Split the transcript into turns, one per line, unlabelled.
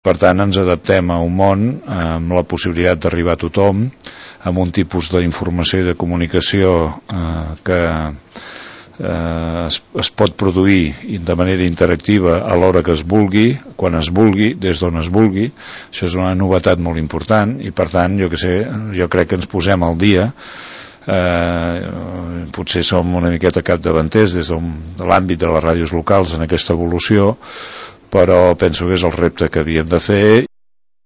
Per tant, ens adaptem a un món amb la possibilitat d'arribar a tothom, amb un tipus d'informació i de comunicació que es pot produir de manera interactiva a l'hora que es vulgui, quan es vulgui, des d'on es vulgui. Això és una novetat molt important i, per tant, jo crec que ens posem al dia. Potser som una miqueta capdavanters des de l'àmbit de les ràdios locals en aquesta evolució, però penso que és el repte que havíem de fer